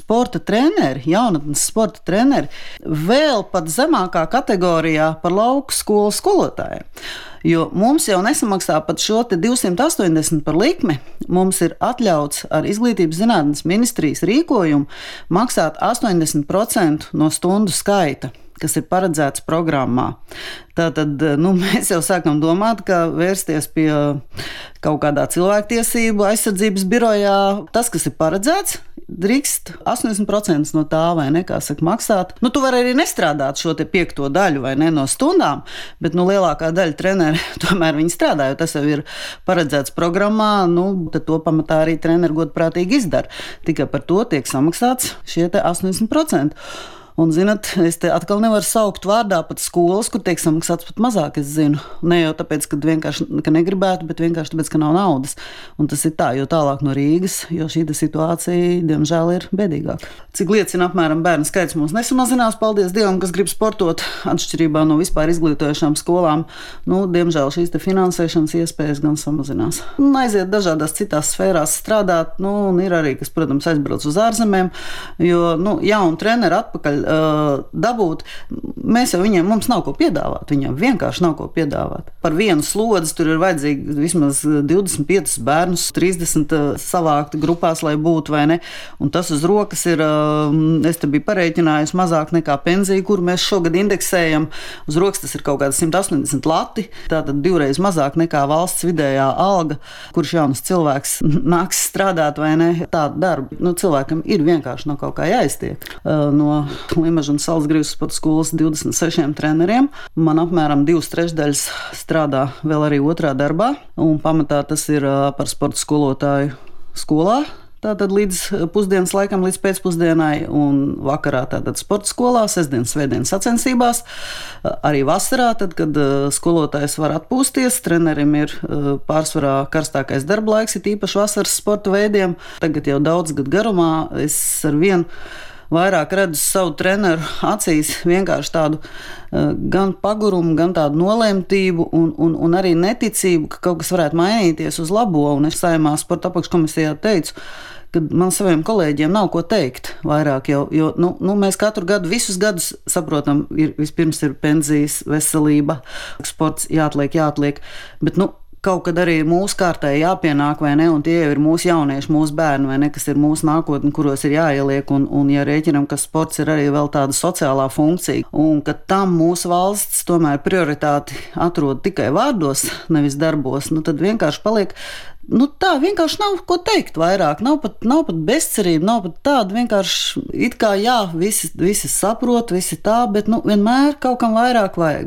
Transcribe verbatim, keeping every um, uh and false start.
sporta treneri, jaunatnes sporta treneri, vēl pat zemākā kategorijā par lauku skolu skolotājiem. Jo mums jau nesamaksā pat šo divsimt astoņdesmit par likmi. Mums ir atļauts ar Izglītības zinātnes ministrijas rīkojumu maksāt astoņdesmit procenti no stundu skaita, kas ir paredzēts programmā. Tātad nu, mēs jau sākam domāt, ka vērsties pie kaut kādā cilvēktiesību aizsardzības birojā. Tas, kas ir paredzēts, drīkst astoņdesmit procenti no tā, vai ne, kā saka, maksāt. Nu, tu vari arī nestrādāt šo te piekto daļu, vai ne, no stundām, bet nu, lielākā daļa treneri tomēr viņi strādā, jo tas jau ir paredzēts programmā, nu, tad to pamatā arī treneri godprātīgi izdara. Tikai par to tiek samaksāts šie te astoņdesmit procenti. Un, zinat, es te atkal nevaru saukt vārdā pat skolas, kur tiek samaksāts pat mazāk, es zinu. Ne jau tāpēc, ka vienkārši ka negribētu, bet vienkārši tāpēc, ka nav naudas. Un tas ir tā, jo tālāk no Rīgas, jo šī situācija, diemžēl, ir bēdīgāka. Cik liecina apmēram bērnu skaits mums nesamazinās, paldies Dievam, kas grib sportot, atšķirībā no vispār izglītojošām skolām. Nu, diemžēl šīs te finansēšanas iespējas gan samazinās. Un aiziet dažādās citās sfērās strādāt, nu, un ir arī, kas, protams, aizbrauc uz ārzemēm, jo, nu, jaunu treneru atpakaļ dabūt, mēs jau viņiem, mums nav ko piedāvāt, viņiem vienkārši nav ko piedāvāt. Par vienu slodzi tur ir vajadzīgi vismaz divdesmit piecus bērnus, trīsdesmit savākti grupās, lai būtu, vai ne, un tas uz rokas ir, es te biju pareiķinājusi, mazāk nekā pensija, kuru mēs šogad indeksējam, uz rokas tas ir kaut kāda simt astoņdesmit lati, tātad divreiz mazāk nekā valsts vidējā alga, kurš jaunas cilvēks nāks strādāt, vai ne, tādu darbu. Nu, cilvēkam ir vienkārši no kaut kā jāiztiek. No Limažu un Salzgrīvas sporta skolas divdesmit sešiem treneriem. Man apmēram divas trešdaļas strādā vēl arī otrā darbā, un pamatā tas ir par sporta skolotāju skolā. Tātad līdz pusdienas laikam, līdz pēcpusdienai, un vakarā tātad sporta skolā, sestdienas, svētdienas sacensībās. Arī vasarā, tad, kad skolotājs var atpūsties, trenerim ir pārsvarā karstākais darba laiks, ir īpaši vasaras sporta veidiem. Tagad jau daudz gadu garumā es ar vienu vairāk redzu savu treneru acīs vienkārši tādu uh, gan pagurumu, gan tādu nolemtību un, un, un arī neticību, ka kaut kas varētu mainīties uz labo. Un es Saeimā sporta apakškomisijā teicu, ka man saviem kolēģiem nav ko teikt vairāk, jo, jo nu, nu, mēs katru gadu, visus gadus saprotam, ir, vispirms ir pensijas, veselība, sports jāatliek, jāatliek, bet nu, kaut kad arī mūsu kārtai jāpienāk, vai ne, un tie jau ir mūsu jaunieši, mūsu bērni, vai ne, kas ir mūsu nākotne, kuros ir jāieliek, un, un ja rēķinam, ka sports ir arī vēl tāda sociālā funkcija, un ka tam mūsu valsts tomēr prioritāti atrod tikai vārdos, nevis darbos, nu tad vienkārši paliek. Nu tā vienkārši nav ko teikt vairāk, nav pat, nav pat bezcerība, nav pat tāda vienkārši it kā jā, visi, visi saprot, visi tā, bet nu vienmēr kaut kam vairāk vajag.